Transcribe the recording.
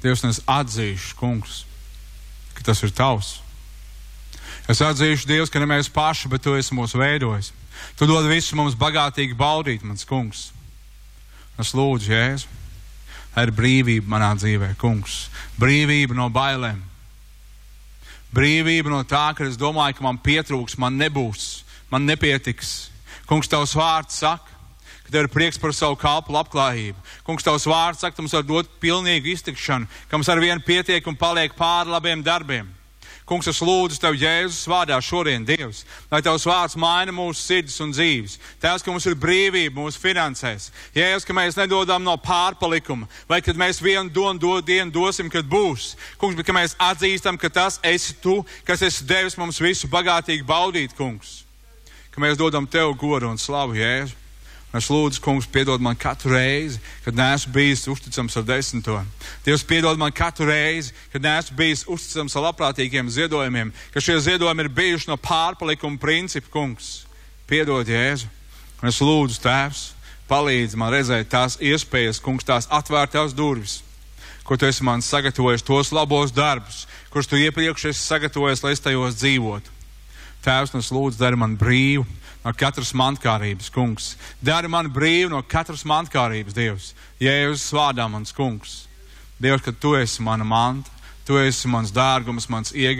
Dievs, un es atzīšu, kungs, ka tas ir tavs. Es atzīšu, Dievs, ka ne mēs paši, bet tu esi mūs veidojis. Tu dod visu mums bagātīgi baudīt, mans kungs. Es lūdzu, Jēzu, lai ir brīvība manā dzīvē, kungs. Brīvība no bailēm. Brīvība no tā, ka es domāju, ka man pietrūks, man nebūs, man nepietiks. Kungs, tavs vārds saka, ka tev ir prieks par savu kalpu labklājību. Kungs, tavs vārds saka, ka mums var dot pilnīgu iztikšanu, ka mums ar vienu pietiek un paliek pāri labiem darbiem. Kungs, es lūdzu tev Jēzus vārdā šodien, Dievs, lai tavs vārds maina mūsu sirdis un dzīves. Tēvs, ka mums ir brīvība mūsu finansēs. Jēzus, ka mēs nedodam no pārpalikuma, vai kad mēs vienu dienu dosim, kad būs. Kungs, bet ka mēs atzīstam, ka tas esi tu, kas esi devis mums visu bagātīgi baudīt, kungs. Ka mēs dodam tev godu un slavu, Jēzu. Un es lūdzu, kungs, piedod man katru reizi, kad neesmu bijis uzticams ar 10. Dievs, piedod man katru reizi, kad neesmu bijis uzticams ar labprātīgiem ziedojumiem, ka šie ziedojumi ir bijuši no pārpalikuma principu, kungs. Piedod, Jēzu. Un es lūdzu, Tēvs, palīdzi man redzēt tās iespējas, kungs, tās atvērtās durvis, ko tu esi man sagatavojis, tos labos darbus, kurus tu iepriekš esi sagatavojis, lai es tajos dzīvotu. Tēvs, un es lūdzu, dari man brīvu no katras mantkārības, kungs. Dari man brīvu no katras mantkārības, Dievs. Jēzus vārdā, mans kungs. Dievs, ka tu esi mana manta, tu esi mans dārgums, mans iegādājums.